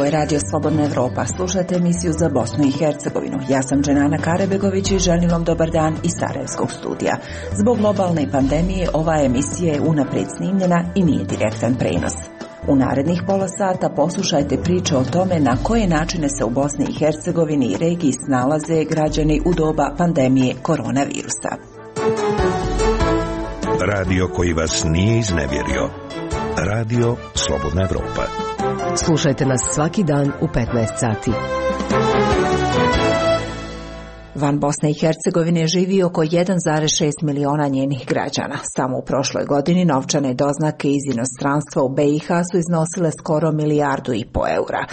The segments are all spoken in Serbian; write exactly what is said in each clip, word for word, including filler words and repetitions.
je Radio Slobodna Evropa. Slušate emisiju za Bosnu i Hercegovinu. Ja sam Dženana Karebegović i želim vam dobar dan iz Sarajevskog studija. Zbog globalne pandemije ova emisija je unaprijed snimljena i nije direktan prenos. U narednih pola sata poslušajte priče o tome na koje načine se u Bosni i Hercegovini i regiji snalaze građani u doba pandemije koronavirusa. Radio koji vas nije iznevjerio. Radio Slobodna Evropa. Slušajte nas svaki dan u petnaest sati. Van Bosne i Hercegovine živi oko jedan zarez šest miliona njenih građana. Samo u prošloj godini novčane doznake iz inostranstva u B i H su iznosile skoro milijardu i po eura.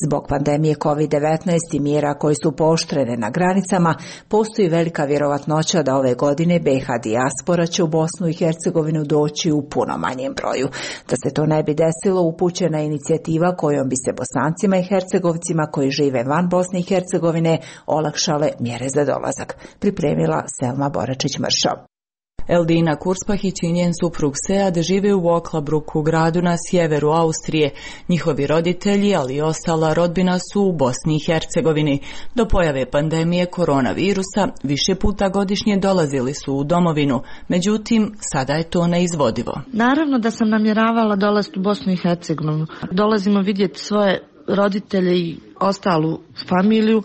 Zbog pandemije kovid devetnaest i mjera koje su pooštrene na granicama, postoji velika vjerovatnoća da ove godine B i H dijaspora će u Bosnu i Hercegovinu doći u puno manjem broju. Da se to ne bi desilo, upućena je inicijativa kojom bi se Bosancima i Hercegovcima koji žive van Bosne i Hercegovine olakšale mjere za dolazak. Pripremila Selma Boračić-Mršo. Eldina Kurspahić i njen suprug Sead žive u Oklabruku, gradu na sjeveru Austrije. Njihovi roditelji, ali i ostala rodbina su u Bosni i Hercegovini. Do pojave pandemije koronavirusa više puta godišnje dolazili su u domovinu, međutim sada je to neizvodivo. Naravno da sam namjeravala dolaziti u Bosnu i Hercegovinu. Dolazimo vidjeti svoje roditelje i ostalu familiju,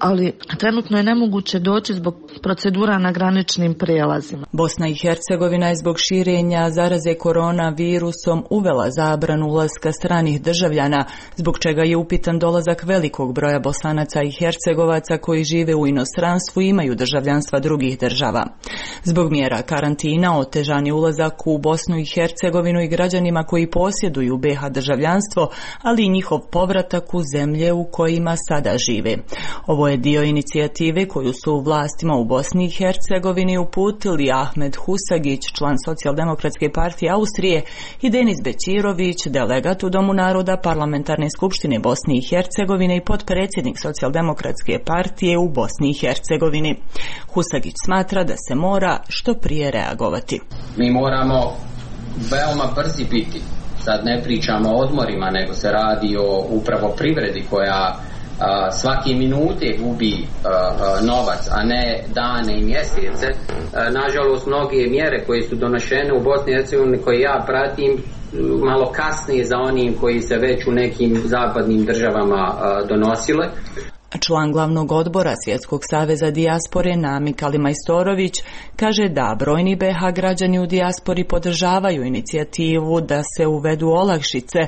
ali trenutno je nemoguće doći zbog procedura na graničnim prijelazima. Bosna i Hercegovina je zbog širenja zaraze koronavirusom uvela zabranu ulaska stranih državljana, zbog čega je upitan dolazak velikog broja Bosanaca i Hercegovaca koji žive u inostranstvu i imaju državljanstva drugih država. Zbog mjera karantina otežan je ulazak u Bosnu i Hercegovinu i građanima koji posjeduju B i H državljanstvo, ali i njihov povratak u zemlje u kojima sada žive. Ovo je dio inicijative koju su vlastima u Bosni i Hercegovini uputili Ahmed Husagić, član Socijaldemokratske partije Austrije, i Denis Bećirović, delegat u Domu naroda Parlamentarne skupštine Bosne i Hercegovine i potpredsjednik Socijaldemokratske partije u Bosni i Hercegovini. Husagić smatra da se mora što prije reagovati. Mi moramo veoma brzi biti. Sad ne pričamo o odmorima, nego se radi o upravo privredi koja Uh, svake minute gubi uh, uh, novac, a ne dane i mjesece. Uh, nažalost, mnoge mjere koje su donošene u Bosni i Hercegovini, koje ja pratim, malo kasnije za onim koji se već u nekim zapadnim državama uh, donosile. Član glavnog odbora Svjetskog saveza dijaspore Namik Alimajstorović kaže da brojni B i H građani u dijaspori podržavaju inicijativu da se uvedu olakšice,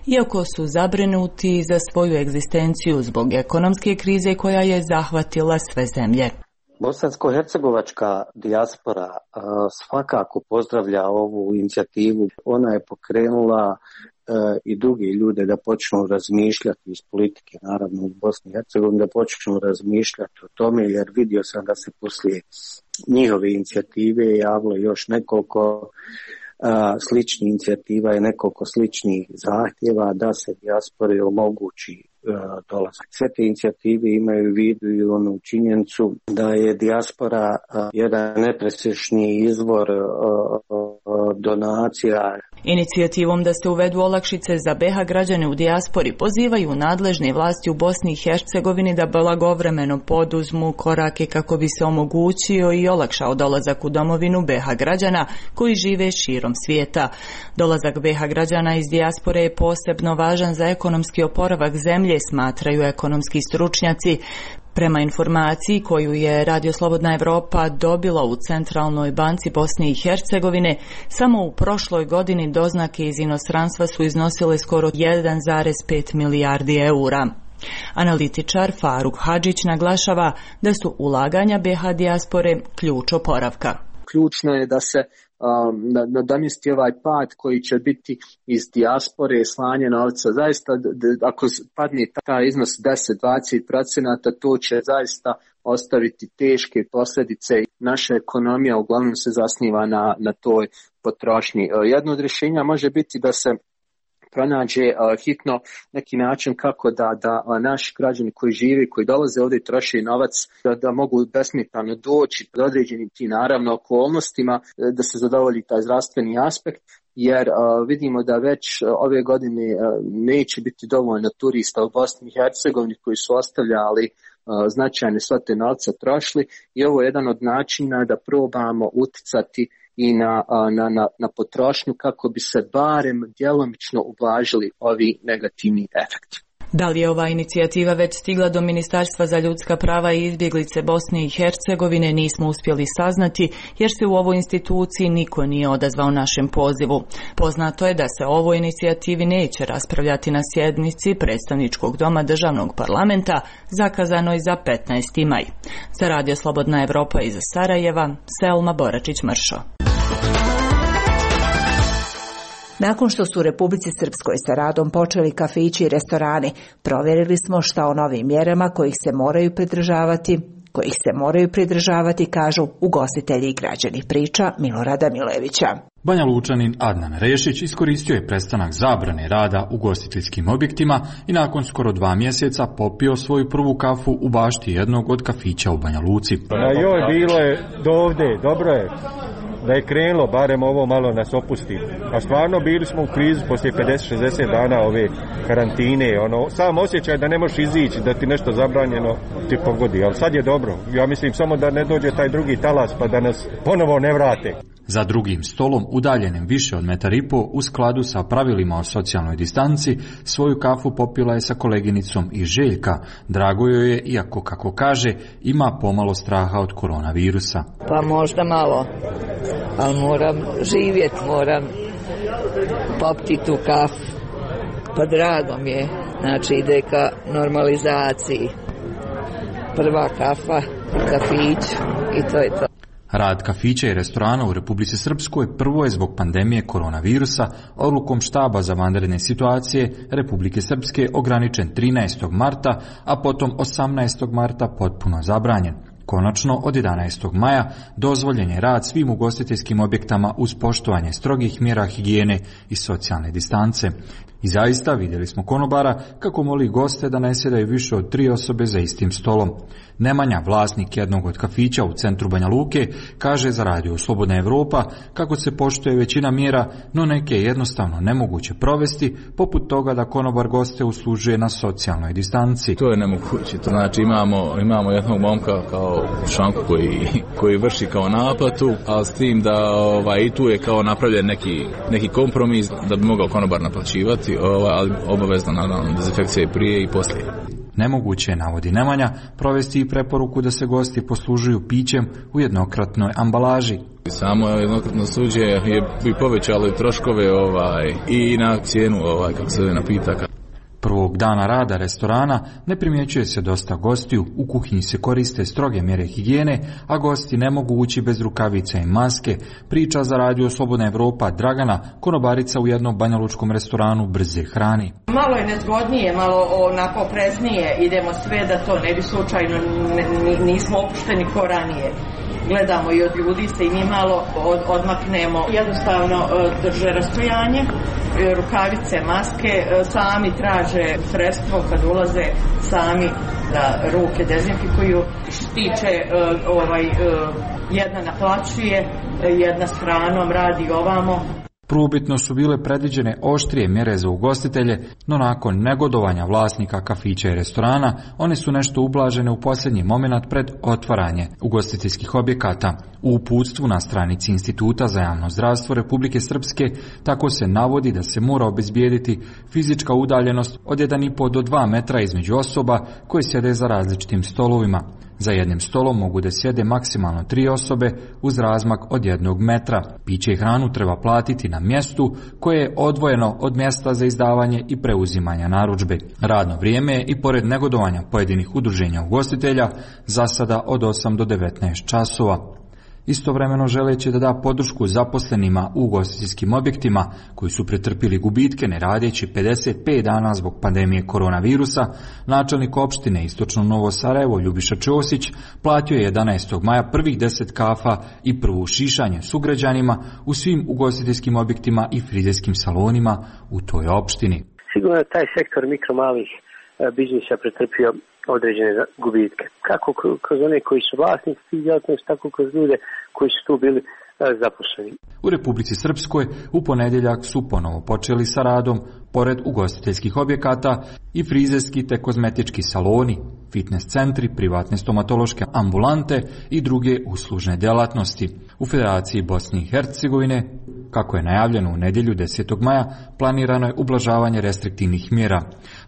iako su zabrinuti za svoju egzistenciju zbog ekonomske krize koja je zahvatila sve zemlje. Bosansko-hercegovačka dijaspora uh, svakako pozdravlja ovu inicijativu. Ona je pokrenula i drugi ljude da počnu razmišljati iz politike, naravno u Bosni i Hercegovini, da počnu razmišljati o tome, jer vidio sam da se poslije njihove inicijative javilo još nekoliko a, sličnih inicijativa i nekoliko sličnih zahtjeva da se dijaspori omogući a, dolazak. Sve te inicijative imaju u vidu i onu činjenicu da je dijaspora a, jedan nepresječni izvor a, a, donacija. Inicijativom da se uvedu olakšice za B i H građane u dijaspori pozivaju nadležne vlasti u Bosni i Hercegovini da blagovremeno poduzmu korake kako bi se omogućio i olakšao dolazak u domovinu B i H građana koji žive širom svijeta. Dolazak B i H građana iz dijaspore je posebno važan za ekonomski oporavak zemlje, smatraju ekonomski stručnjaci. Prema informaciji koju je Radio Slobodna Evropa dobila u Centralnoj banci Bosne i Hercegovine, samo u prošloj godini doznake iz inostranstva su iznosile skoro jedan zarez pet milijardi eura. Analitičar Faruk Hadžić naglašava da su ulaganja B i H dijaspore ključ oporavka. Ključno je da se um, nadomjesti ovaj pad koji će biti iz dijaspore, slanje novca. Zaista, d- ako padne taj iznos deset do dvadeset procenata, to će zaista ostaviti teške posljedice. Naša ekonomija uglavnom se zasniva na, na toj potrošnji. Jedno od rješenja može biti da se pronađe uh, hitno neki način kako da, da uh, naši građani koji žive, koji dolaze ovdje i troše novac, da, da mogu besmetano doći pod određenim ti naravno okolnostima, da se zadovolji taj zdravstveni aspekt. jer uh, vidimo da već uh, ove godine uh, neće biti dovoljno turista u Bosni i Hercegovini koji su ostavljali uh, značajne svote novca trošili i ovo je jedan od načina da probamo uticati i na, uh, na, na, na potrošnju kako bi se barem djelomično ublažili ovi negativni efekti. Da li je ova inicijativa već stigla do Ministarstva za ljudska prava i izbjeglice Bosne i Hercegovine nismo uspjeli saznati jer se u ovoj instituciji niko nije odazvao našem pozivu. Poznato je da se o ovoj inicijativi neće raspravljati na sjednici predstavničkog doma državnog parlamenta zakazanoj za petnaesti maj. Za Radio Slobodna Evropa iz Sarajeva, Selma Boračić-Mršo. Nakon što su u Republici Srpskoj sa radom počeli kafići i restorani, provjerili smo šta o novim mjerama kojih se moraju pridržavati, kojih se moraju pridržavati, kažu ugostitelji i građani, priča Milorada Milevića. Banja Lučanin Adnan Rešić iskoristio je prestanak zabrane rada u ugostiteljskim objektima i nakon skoro dva mjeseca popio svoju prvu kafu u bašti jednog od kafića u Banja Luci. Na joj bilo je dovde, dobro je. Da je krenulo, barem ovo malo nas opusti. A stvarno bili smo u krizi poslije pedeset šezdeset dana ove karantine. Ono, sam osjećaj da ne možeš izići, da ti nešto zabranjeno ti pogodi. Ali sad je dobro. Ja mislim samo da ne dođe taj drugi talas pa da nas ponovo ne vrate. Za drugim stolom, udaljenim više od metar i po, u skladu sa pravilima o socijalnoj distanci, svoju kafu popila je sa koleginicom i Željka. Drago joj je, iako, kako kaže, ima pomalo straha od koronavirusa. Pa možda malo, ali moram živjeti, moram popiti tu kafu. Pa drago mi je, znači ide ka normalizaciji. Prva kafa, kafić i to je to. Rad kafića i restorana u Republici Srpskoj prvo je zbog pandemije koronavirusa odlukom štaba za vanredne situacije Republike Srpske ograničen trinaestog marta, a potom osamnaestog marta potpuno zabranjen. Konačno, od jedanaestog maja dozvoljen je rad svim ugostiteljskim objektama uz poštovanje strogih mjera higijene i socijalne distance. I zaista vidjeli smo konobara kako moli goste da ne sjedaju više od tri osobe za istim stolom. Nemanja, vlasnik jednog od kafića u centru Banja Luke, kaže za Radio Slobodna Evropa kako se poštuje većina mjera, no neke je jednostavno nemoguće provesti, poput toga da konobar goste uslužuje na socijalnoj distanci. To je nemoguće. To znači imamo, imamo jednog momka kao šanku koji, koji vrši kao naplatu, ali s tim da ovaj, i tu je kao napravljen neki, neki kompromis da bi mogao konobar naplaćivati, ovaj, ali obavezno naravno dezinfekcija i prije i poslije. Nemoguće je, navodi Nemanja, provesti i preporuku da se gosti poslužuju pićem u jednokratnoj ambalaži. Samo jednokratno suđe je bi povećalo troškove ovaj, i na cijenu ovaj, kako se zove napitaka. Prvog dana rada restorana ne primjećuje se dosta gostiju, u kuhinji se koriste stroge mjere higijene, a gosti ne mogu ući bez rukavica i maske, priča za Radio Slobodna Evropa Dragana, konobarica u jednom banjalučkom restoranu brze hrani. Malo je nezgodnije, malo onako opreznije, idemo sve da to ne bi slučajno, n- nismo opušteni ko ranije. Gledamo i od ljudi se i mi malo od, odmaknemo, jednostavno drže rastojanje, rukavice, maske, sami traže sredstvo kad ulaze, sami da ruke dezinfikuju. Što se tiče ovaj, jedna naplaćuje, jedna s hranom radi ovamo. Prvobitno su bile predviđene oštrije mjere za ugostitelje, no nakon negodovanja vlasnika kafića i restorana, one su nešto ublažene u posljednji moment pred otvaranje ugostiteljskih objekata. U uputstvu na stranici Instituta za javno zdravstvo Republike Srpske tako se navodi da se mora obezbijediti fizička udaljenost od jedan i po do dva metra između osoba koje sjede za različitim stolovima. Za jednim stolom mogu da sjede maksimalno tri osobe uz razmak od jednog metra. Piće i hranu treba platiti na mjestu koje je odvojeno od mjesta za izdavanje i preuzimanja narudžbe. Radno vrijeme je i pored negodovanja pojedinih udruženja ugostitelja za sada od osam do devetnaest časova. Istovremeno želeći da da podršku zaposlenima u ugostiteljskim objektima koji su pretrpili gubitke ne radeći pedeset pet dana zbog pandemije koronavirusa, načelnik opštine Istočno Novo Sarajevo Ljubiša Ćosić platio je jedanaestog maja prvih deset kafa i prvo šišanje sugrađanima u svim ugostiteljskim objektima i frizejskim salonima u toj opštini. Sigurno je taj sektor mikro malih biznisa pretrpio određene gubitke. Kako kroz one koji su vlasnici tih djelatnosti, tako kroz ljude koji su tu bili zaposleni. U Republici Srpskoj u ponedjeljak su ponovo počeli sa radom, pored ugostiteljskih objekata, i frizerski te kozmetički saloni, fitness centri, privatne stomatološke ambulante i druge uslužne djelatnosti. U Federaciji Bosne i Hercegovine, kako je najavljeno u nedjelju desetog maja, planirano je ublažavanje restriktivnih mjera.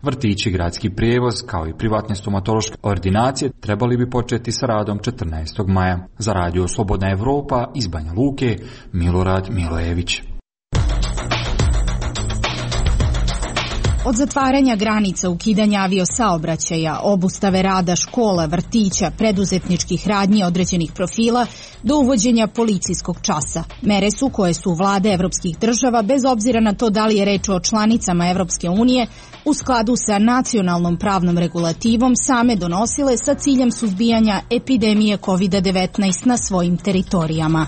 Vrtići, gradski prijevoz, kao i privatne stomatološke ordinacije trebali bi početi sa radom četrnaestog maja. Za radio Slobodna Evropa iz Banja Luke, Milorad Milojević. Od zatvaranja granica, ukidanja aviosaobraćaja, obustave rada škola, vrtića, preduzetničkih radnji određenih profila, do uvođenja policijskog časa. Mere su koje su vlade evropskih država, bez obzira na to da li je reč o članicama Evropske unije, u skladu sa nacionalnom pravnom regulativom same donosile sa ciljem suzbijanja epidemije kovid devetnaest na svojim teritorijama.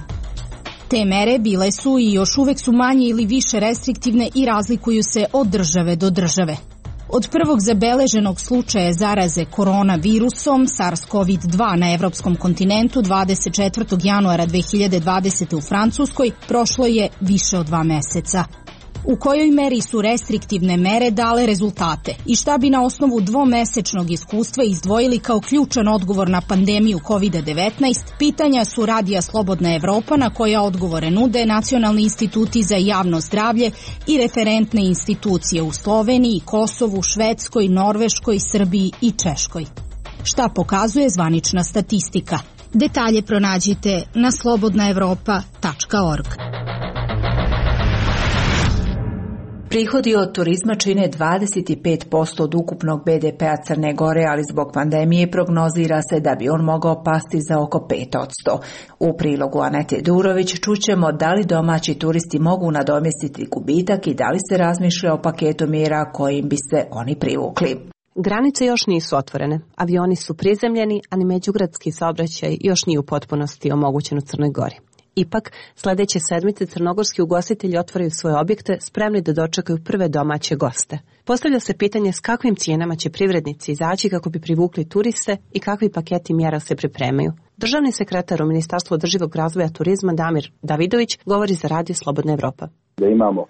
Te mere bile su i još uvek su manje ili više restriktivne i razlikuju se od države do države. Od prvog zabeleženog slučaja zaraze koronavirusom SARS-CoV dva na evropskom kontinentu dvadeset četvrtog januara dve hiljade dvadesete u Francuskoj prošlo je više od dva meseca. U kojoj meri su restriktivne mere dale rezultate i šta bi na osnovu dvomesečnog iskustva izdvojili kao ključan odgovor na pandemiju kovid devetnaest, pitanja su Radija Slobodna Evropa na koja odgovore nude nacionalni instituti za javno zdravlje i referentne institucije u Sloveniji, Kosovu, Švedskoj, Norveškoj, Srbiji i Češkoj. Šta pokazuje zvanična statistika? Detalje pronađite na slobodna evropa tačka org. Prihodi od turizma čine dvadeset pet posto od ukupnog be de pea Crne Gore, ali zbog pandemije prognozira se da bi on mogao pasti za oko pet posto. U prilogu Anete Durović čućemo da li domaći turisti mogu nadomjestiti gubitak i da li se razmišlja o paketu mjera kojim bi se oni privukli. Granice još nisu otvorene, avioni su prizemljeni, a ni međugradski saobraćaj još nije u potpunosti omogućen u Crnoj Gori. Ipak, sljedeće sedmice crnogorski ugostitelji otvaraju svoje objekte spremni da dočekaju prve domaće goste. Postavlja se pitanje s kakvim cijenama će privrednici izaći kako bi privukli turiste i kakvi paketi mjera se pripremaju. Državni sekretar u Ministarstvu održivog razvoja turizma Damir Davidović govori za Radio Slobodna Evropa. Da imamo uh,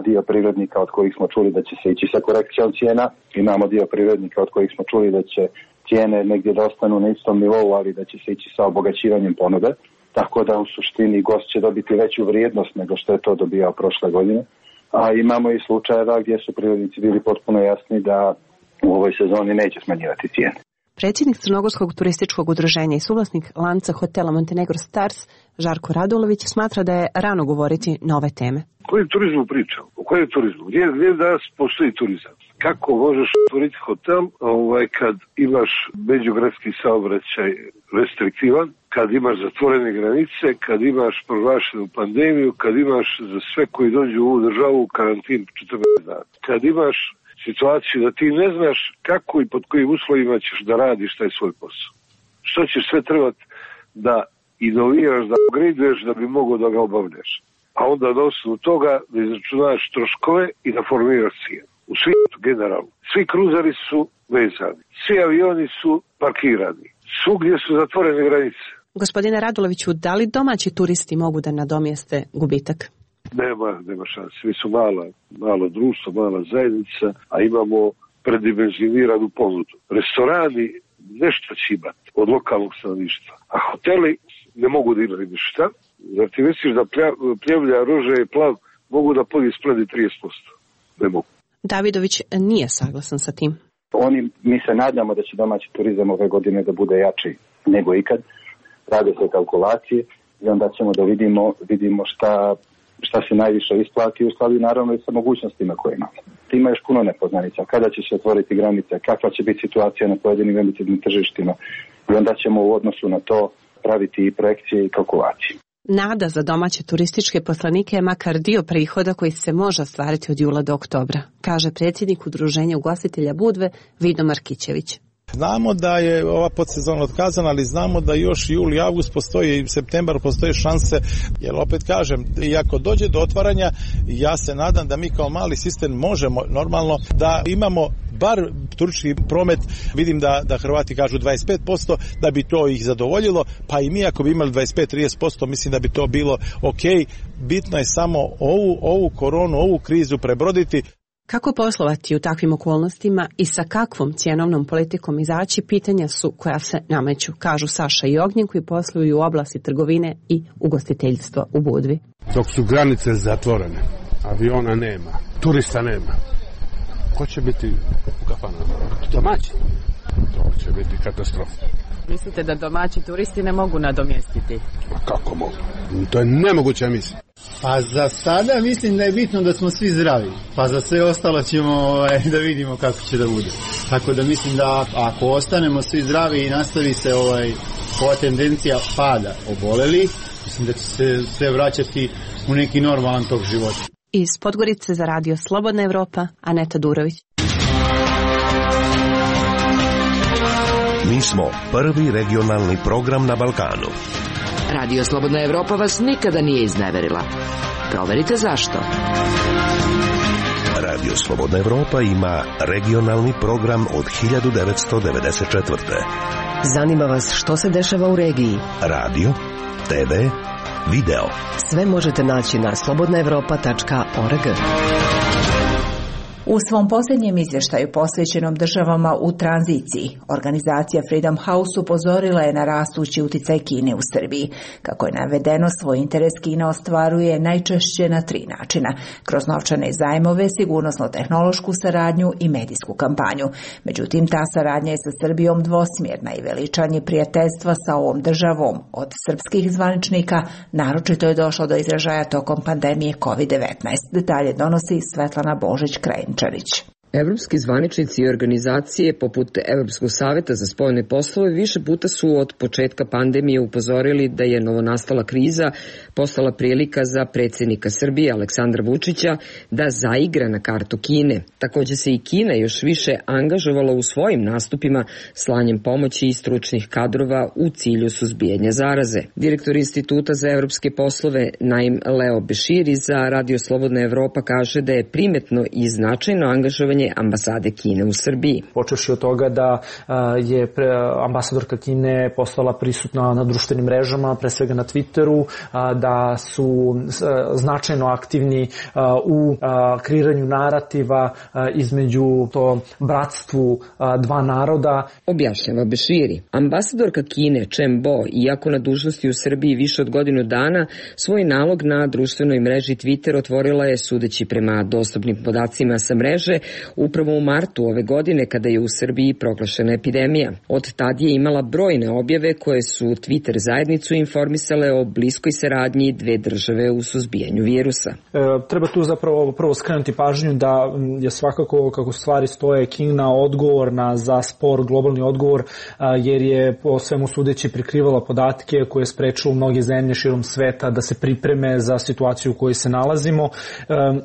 dio privrednika od kojih smo čuli da će se ići sa korekcijom cijena, imamo dio privrednika od kojih smo čuli da će cijene negdje da ostanu na istom nivou, ali da će se ići sa obogaćivanjem ponude. Tako da u suštini gost će dobiti veću vrijednost nego što je to dobijao prošle godine. A imamo i slučajeva gdje su privrednici bili potpuno jasni da u ovoj sezoni neće smanjivati cijene. Predsjednik Crnogorskog turističkog udruženja i suvlasnik lanca hotela Montenegro Stars, Žarko Radulović, smatra da je rano govoriti na ove teme. O kojem turizmu pričam? O kojem turizmu? Gdje, gdje danas postoji turizam? Kako možeš otvoriti hotel ovaj, kad imaš međugradski saobraćaj restriktivan, kad imaš zatvorene granice, kad imaš proglašenu pandemiju, kad imaš za sve koji dođu u ovu državu karantin četrnaest dana. Kad imaš situaciju da ti ne znaš kako i pod kojim uslovima ćeš da radiš taj svoj posao. Što ćeš sve trebati da inoviraš, da upgradeuješ da bi mogao da ga obavljaš. A onda na osnovu toga da izračunaš troškove i da formiraš cijenu. U svijetu generalno. Svi kruzari su vezani. Svi avioni su parkirani. Svugdje su zatvorene granice. Gospodine Raduloviću, da li domaći turisti mogu da nadomjeste gubitak? Nema, nema šanse. Mi su mala, malo društvo, mala zajednica, a imamo predimenzioniranu ponudu. Restorani nešto će imati od lokalnog stanovništva, a hoteli ne mogu da imaju ništa. Zar ti misliš da pljevlja, ruže i plav mogu da podi spledi trideset posto? Ne mogu. Davidović nije saglasan sa tim. Oni, mi se nadamo da će domaći turizam ove godine da bude jači nego ikad. Rade se kalkulacije i onda ćemo da vidimo, vidimo šta, šta se najviše isplati u skladu naravno i sa mogućnostima koje imamo. Ima još puno nepoznanica. Kada će se otvoriti granice, kakva će biti situacija na pojedinim velikim tržištima i onda ćemo u odnosu na to praviti i projekcije i kalkulacije. Nada za domaće turističke poslanike je makar dio prihoda koji se može ostvariti od jula do oktobra, kaže predsjednik udruženja ugostitelja Budve Vido Markićević. Znamo da je ova podsezona otkazana, ali znamo da još jul i avgust postoji i septembar postoje šanse, jer opet kažem, i ako dođe do otvaranja, ja se nadam da mi kao mali sistem možemo normalno da imamo bar turistički promet, vidim da, da Hrvati kažu dvadeset pet posto, da bi to ih zadovoljilo, pa i mi ako bi imali dvadeset pet do trideset posto, mislim da bi to bilo ok. Bitno je samo ovu, ovu koronu, ovu krizu prebroditi. Kako poslovati u takvim okolnostima i sa kakvom cjenovnom politikom izaći, pitanja su koja se nameću, kažu Saša i Ognjen koji posluju u oblasti trgovine i ugostiteljstva u Budvi. Dok su granice zatvorene, aviona nema, turista nema, ko će biti u kafanama? Domaći. To će biti katastrofa. Mislite da domaći turisti ne mogu nadomjestiti? A kako mogu? To je nemoguća misija. Pa za sada mislim da je bitno da smo svi zdravi, pa za sve ostalo ćemo ovaj, da vidimo kako će da bude. Tako da mislim da ako ostanemo svi zdravi i nastavi se ovaj, ova tendencija pada oboleli, mislim da će se sve vraćati u neki normalan tok života. Iz Podgorice za radio Slobodna Evropa, Aneta Durović. Mi smo prvi regionalni program na Balkanu. Radio Slobodna Evropa vas nikada nije izneverila. Proverite zašto. Radio Slobodna Evropa ima regionalni program od hiljadu devetsto devedeset četvrte. Zanima vas što se dešava u regiji? Radio, te ve, video. Sve možete naći na slobodna evropa tačka org. U svom posljednjem izvještaju posvećenom državama u tranziciji, organizacija Freedom House upozorila je na rastući utjecaj Kine u Srbiji. Kako je navedeno, svoj interes Kina ostvaruje najčešće na tri načina: kroz novčane zajmove, sigurnosno-tehnološku saradnju i medijsku kampanju. Međutim, ta saradnja je sa Srbijom dvosmjerna i veličanje prijateljstva sa ovom državom od srpskih zvaničnika naročito je došlo do izražaja tokom pandemije kovid devetnaest. Detalje donosi Svetlana Božić-Krajin. Evropski zvaničnici i organizacije poput Evropskog saveta za spoljne poslove više puta su od početka pandemije upozorili da je novonastala kriza postala prilika za predsjednika Srbije Aleksandra Vučića da zaigra na kartu Kine. Također se i Kina još više angažovala u svojim nastupima slanjem pomoći i stručnih kadrova u cilju suzbijanja zaraze. Direktor Instituta za evropske poslove Naim Leo Beširi za Radio Slobodna Evropa kaže da je primetno i značajno angažovanje ambasade Kine u Srbiji. Počevši od toga da je ambasadorka Kine postala prisutna na društvenim mrežama, pre svega na Twitteru, da su značajno aktivni u kreiranju narativa između to bratstvu dva naroda. Objašnjava Beširi. Ambasadorka Kine Chen Bo, iako na dužnosti u Srbiji više od godinu dana, svoj nalog na društvenoj mreži Twitter otvorila je, sudeći prema dostupnim podacima sa mreže, upravo u martu ove godine kada je u Srbiji proglašena epidemija. Od tad je imala brojne objave koje su Twitter zajednicu informisale o bliskoj saradnji dve države u suzbijanju virusa. E, treba tu zapravo prvo skrenuti pažnju da je svakako, kako stvari stoje, Kina odgovorna za spor globalni odgovor, a, jer je po svemu sudeći prikrivala podatke koje je sprečilo mnoge zemlje širom sveta da se pripreme za situaciju u kojoj se nalazimo, e,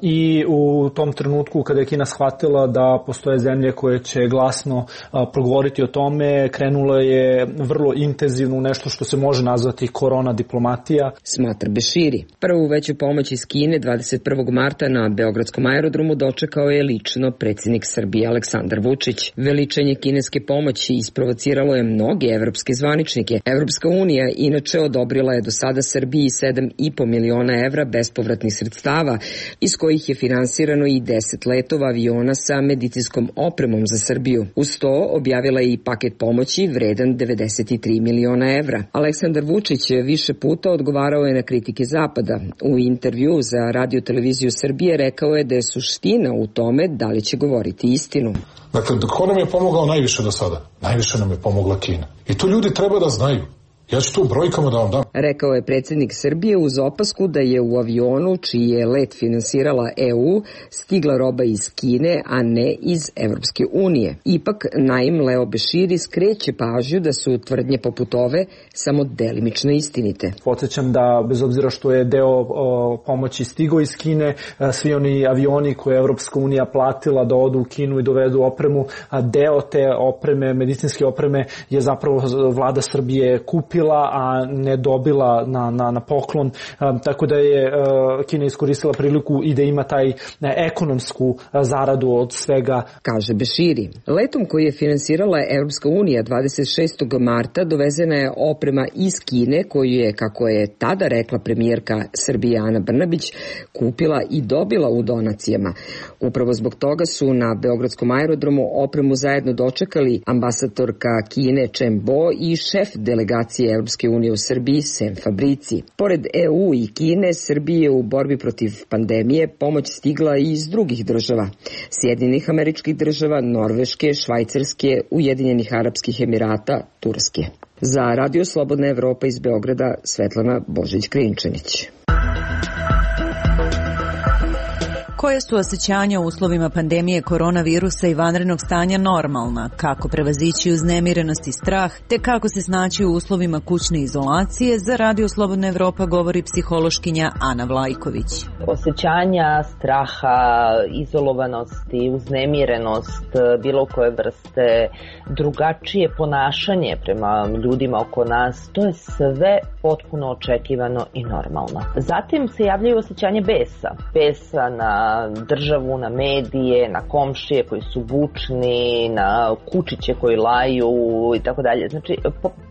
i u tom trenutku kada je Kina shvatila da postoje zemlje koje će glasno a, progovoriti o tome, krenula je vrlo intenzivno u nešto što se može nazvati korona diplomatija. Smatra Beširi. Prvu veću pomoć iz Kine dvadeset prvog marta na Beogradskom aerodromu dočekao je lično predsjednik Srbije Aleksandar Vučić. Veličanje kineske pomoći isprovociralo je mnoge evropske zvaničnike. Evropska unija inače odobrila je do sada Srbiji sedam i po miliona evra bespovratnih sredstava, iz kojih je finansirano i deset letova aviona sa medicinskom opremom za Srbiju. Uz to objavila je i paket pomoći vredan devedeset tri miliona evra. Aleksandar Vučić više puta odgovarao je na kritike Zapada. U intervju za Radio Televiziju Srbije rekao je da je suština u tome da li će govoriti istinu. Dakle, ko nam je pomogao najviše do sada? Najviše nam je pomogla Kina. I to ljudi treba da znaju. Ja ću tu brojkama da vam dam. Rekao je predsjednik Srbije uz opasku da je u avionu čiji je let finansirala E U stigla roba iz Kine, a ne iz Evropske unije. Ipak Naim Leo Beširi skreće pažnju da su tvrdnje poput ove samo delimično istinite. Podsjećam da bez obzira što je deo o, pomoći stigao iz Kine, svi oni avioni koje je Evropska unija platila da odu u Kinu i dovedu opremu, a deo te opreme, medicinske opreme je zapravo vlada Srbije kupila, a ne dobila na, na, na poklon, a, tako da je a, Kina iskoristila priliku i da ima taj a, ekonomsku a, zaradu od svega. Kaže Beširi. Letom koji je finansirala Evropska unija dvadeset šestog marta dovezena je oprema iz Kine koju je, kako je tada rekla premijerka Srbije Ana Brnabić, kupila i dobila u donacijama. Upravo zbog toga su na Beogradskom aerodromu opremu zajedno dočekali ambasadorka Kine Chen Bo i šef delegacije Evropske unije u Srbiji Sem Fabrici. Pored E U i Kine, Srbije u borbi protiv pandemije pomoć stigla i iz drugih država. Sjedinjenih Američkih Država, Norveške, Švajcarske, Ujedinjenih Arapskih Emirata, Turske. Za Radio Slobodna Evropa iz Beograda, Svetlana Božić-Krinčanić. Koje su osjećanja u uslovima pandemije koronavirusa i vanrednog stanja normalna? Kako prevazići uznemirenost i strah? Te kako se snaći u uslovima kućne izolacije? Za Radio Slobodna Evropa govori psihološkinja Ana Vlajković. Osjećanja straha, izolovanosti, uznemirenost, bilo koje vrste, drugačije ponašanje prema ljudima oko nas, to je sve potpuno očekivano i normalno. Zatim se javljaju osjećanje besa. Besa na državu, na medije, na komšije koji su bučni, na kučiće koji laju i tako dalje. Znači,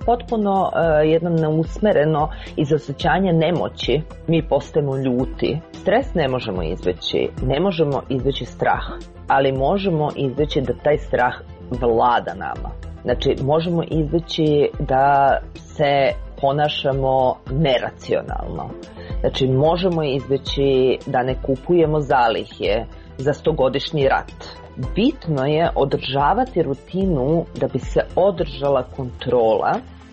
potpuno uh, jedno neusmereno iz osjećanja nemoći mi postajemo ljuti. Stres ne možemo izbeći, ne možemo izbeći strah, ali možemo izbeći da taj strah vlada nama. Znači, možemo izbeći da se ponašamo neracionalno. Znači, možemo izbeći da ne kupujemo zalihe za stogodišnji rat. Bitno je održavati rutinu da bi se održala kontrola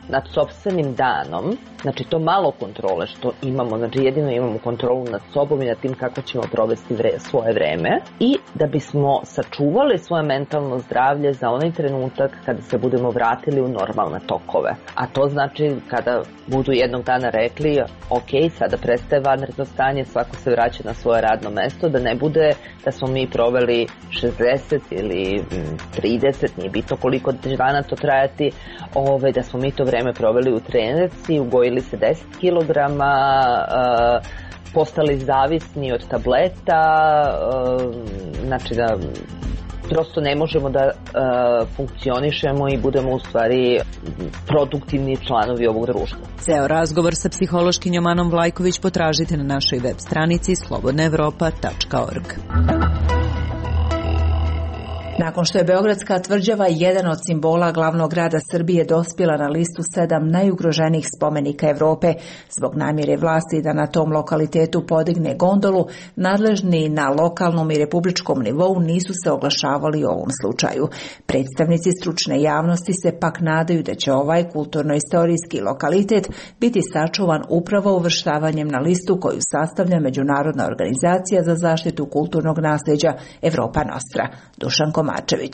nad sopstvenim danom, znači to malo kontrole što imamo, znači jedino imamo kontrolu nad sobom i nad tim kako ćemo provesti vre, svoje vreme i da bismo sačuvali svoje mentalno zdravlje za onaj trenutak kada se budemo vratili u normalne tokove. A to znači kada budu jednog dana rekli ok, sada prestaje vanredno stanje, svako se vraća na svoje radno mesto, da ne bude da smo mi proveli šezdeset ili trideset, nije bitno koliko dana to trajati, ove, da smo mi to vreme proveli u trenerci, ugojili se deset kilograma, uh, postali zavisni od tableta, uh, znači da prosto ne možemo da uh, funkcionišemo i budemo u stvari produktivni članovi ovog društva. Ceo razgovor sa psihološkinjom Anom Vlajković potražite na našoj web stranici slobodna evropa tačka org. Nakon što je Beogradska tvrđava jedan od simbola glavnog grada Srbije dospjela na listu sedam najugroženijih spomenika Evrope, zbog namjere vlasti da na tom lokalitetu podigne gondolu, nadležni na lokalnom i republičkom nivou nisu se oglašavali u ovom slučaju. Predstavnici stručne javnosti se pak nadaju da će ovaj kulturno-istorijski lokalitet biti sačuvan upravo uvrštavanjem na listu koju sastavlja Međunarodna organizacija za zaštitu kulturnog nasljeđa Evropa Nostra. Dušan Mačević.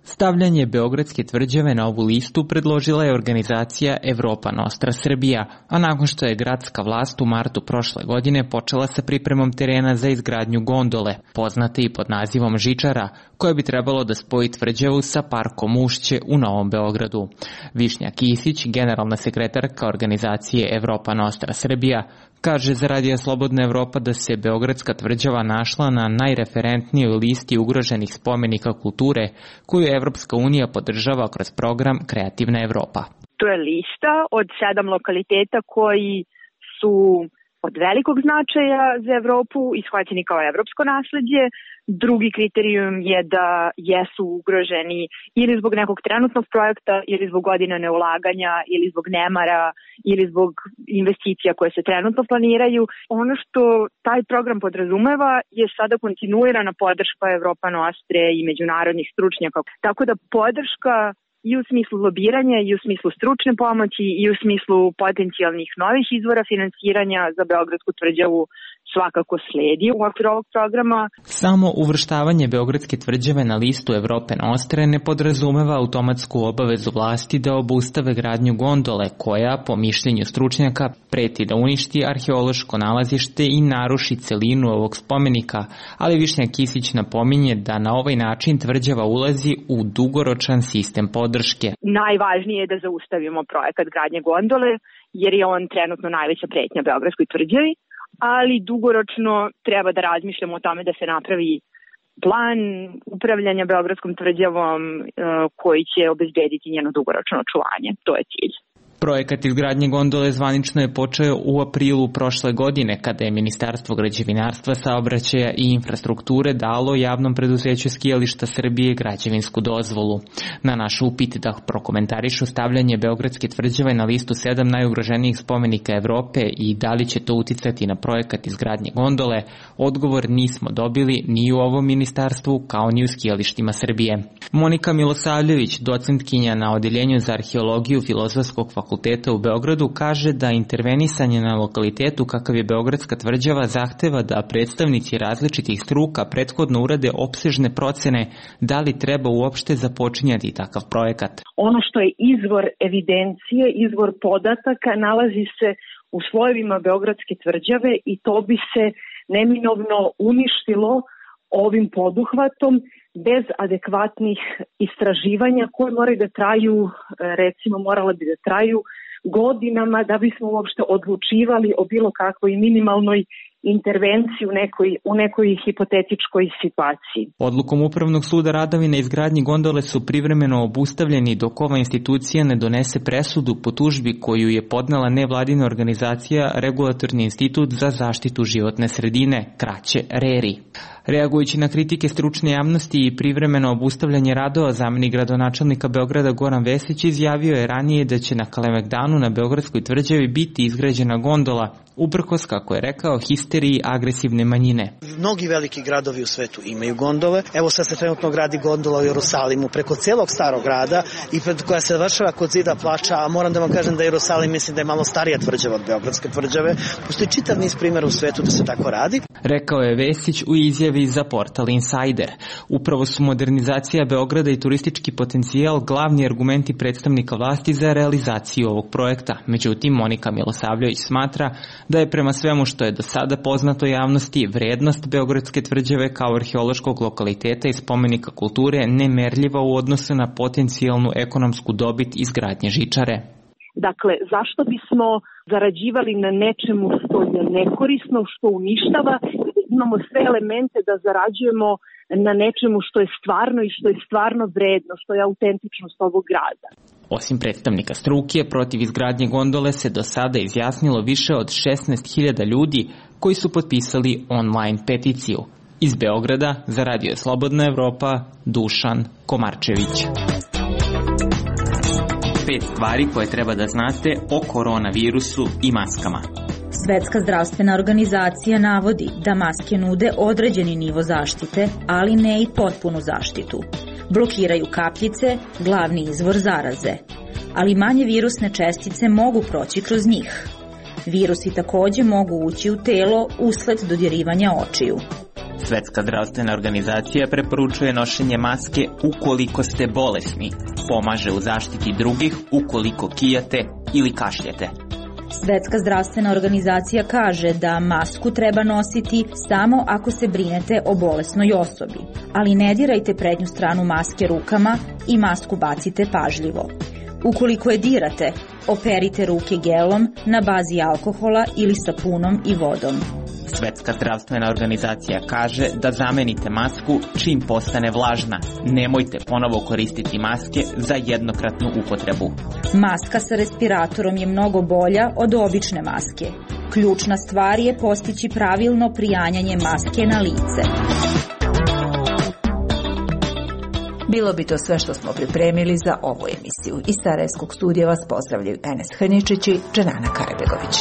Stavljanje Beogradske tvrđave na ovu listu predložila je organizacija Evropa Nostra Srbija, a nakon što je gradska vlast u martu prošle godine počela sa pripremom terena za izgradnju gondole, poznate i pod nazivom Žičara, koje bi trebalo da spoji tvrđavu sa parkom Ušće u Novom Beogradu. Višnja Kisić, generalna sekretarka organizacije Evropa Nostra Srbija, kaže za Radio Slobodna Evropa da se Beogradska tvrđava našla na najreferentnijoj listi ugroženih spomenika kulture koju Evropska unija podržava kroz program Kreativna Evropa. To je lista od sedam lokaliteta koji su od velikog značaja za Evropu ishvaćeni kao evropsko nasleđe. Drugi kriterijum je da jesu ugroženi ili zbog nekog trenutnog projekta, ili zbog godina neulaganja, ili zbog nemara, ili zbog investicija koje se trenutno planiraju. Ono što taj program podrazumeva je sada kontinuirana podrška Evropa Nostre i međunarodnih stručnjaka. Tako da podrška i u smislu lobiranja, i u smislu stručne pomoći, i u smislu potencijalnih novih izvora finansiranja za Beogradsku tvrđavu svakako sledi u okviru ovog programa. Samo uvrštavanje Beogradske tvrđave na listu Evrope Nostre ne podrazumeva automatsku obavezu vlasti da obustave gradnju gondole koja, po mišljenju stručnjaka, preti da uništi arheološko nalazište i naruši celinu ovog spomenika, ali Višnja Kisić napominje da na ovaj način tvrđava ulazi u dugoročan sistem podrške. Najvažnije je da zaustavimo projekat gradnje gondole, jer je on trenutno najveća pretnja Beogradskoj tvrđavi, ali dugoročno treba da razmišljamo o tome da se napravi plan upravljanja Beogradskom tvrđavom koji će obezbediti njeno dugoročno očuvanje. To je cilj. Projekat izgradnje gondole zvanično je počeo u aprilu prošle godine, kada je Ministarstvo građevinarstva, saobraćaja i infrastrukture dalo javnom preduzeću Skijališta Srbije građevinsku dozvolu. Na naš upit da prokomentarišu stavljanje Beogradske tvrđave na listu sedam najugroženijih spomenika Evrope i da li će to uticati na projekat izgradnje gondole, odgovor nismo dobili ni u ovom ministarstvu kao ni u Skijalištima Srbije. Monika Milosavljević, docentkinja na Odeljenju za arheologiju Filozofskog fakulteta u Beogradu, kaže da intervenisanje na lokalitetu kakav je Beogradska tvrđava zahteva da predstavnici različitih struka prethodno urade opsežne procene da li treba uopšte započinjati takav projekat. Ono što je izvor evidencije, izvor podataka, nalazi se u slojevima Beogradske tvrđave i to bi se neminovno uništilo ovim poduhvatom bez adekvatnih istraživanja koje moraju da traju, recimo morale bi da traju godinama da bismo uopšte odlučivali o bilo kakvoj minimalnoj intervenciji u nekoj, u nekoj hipotetičkoj situaciji. Odlukom Upravnog suda radovi na izgradnji gondole su privremeno obustavljeni dok ova institucija ne donese presudu po tužbi koju je podnela nevladina organizacija Regulatorni institut za zaštitu životne sredine, kraće RERI. Reagujući na kritike stručne javnosti i privremeno obustavljanje radova, zamenik gradonačelnika Beograda Goran Vesić izjavio je ranije da će na Kalemegdanu na Beogradskoj tvrđavi biti izgrađena gondola, uprkos, kako je rekao, histeriji agresivne manjine. Mnogi veliki gradovi u svetu imaju gondole. Evo sad se trenutno gradi gondola u Jerusalimu preko celog starog grada i pred koja se završava kod zida plača, a moram da vam kažem da Jerusalim mislim da je malo starija tvrđava od Beogradske tvrđave. Postoji čitav niz primjera u svetu da se tako radi. Rekao je Vesić u izjavi za portal Insider. Upravo su modernizacija Beograda i turistički potencijal glavni argumenti predstavnika vlasti za realizaciju ovog projekta. Međutim, Monika Milosavljević smatra da je prema svemu što je do sada poznato javnosti vrednost Beogradske tvrđave kao arheološkog lokaliteta i spomenika kulture nemerljiva u odnosu na potencijalnu ekonomsku dobit izgradnje žičare. Dakle, zašto bismo zarađivali na nečemu što je nekorisno, što uništava, imamo sve elemente da zarađujemo na nečemu što je stvarno i što je stvarno vredno, što je autentičnost ovog grada. Osim predstavnika struke, protiv izgradnje gondole se do sada izjasnilo više od šesnaest hiljada ljudi koji su potpisali online peticiju. Iz Beograda za Radio Slobodna Evropa, Dušan Komarčević. Pet stvari koje treba da znate o koronavirusu i maskama. Svetska zdravstvena organizacija navodi da maske nude određeni nivo zaštite, ali ne i potpunu zaštitu. Blokiraju kapljice, glavni izvor zaraze, ali manje virusne čestice mogu proći kroz njih. Virusi takođe mogu ući u telo usled dodirivanja očiju. Svetska zdravstvena organizacija preporučuje nošenje maske ukoliko ste bolesni. Pomaže u zaštiti drugih ukoliko kijate ili kašljete. Svetska zdravstvena organizacija kaže da masku treba nositi samo ako se brinete o bolesnoj osobi, ali ne dirajte prednju stranu maske rukama i masku bacite pažljivo. Ukoliko je dirate, operite ruke gelom na bazi alkohola ili sapunom i vodom. Svetska zdravstvena organizacija kaže da zamenite masku čim postane vlažna. Nemojte ponovo koristiti maske za jednokratnu upotrebu. Maska sa respiratorom je mnogo bolja od obične maske. Ključna stvar je postići pravilno prijanjanje maske na lice. Bilo bi to sve što smo pripremili za ovu emisiju. Iz Sarajevskog studija vas pozdravljaju Enes Hrničić i Dženana Karabegović.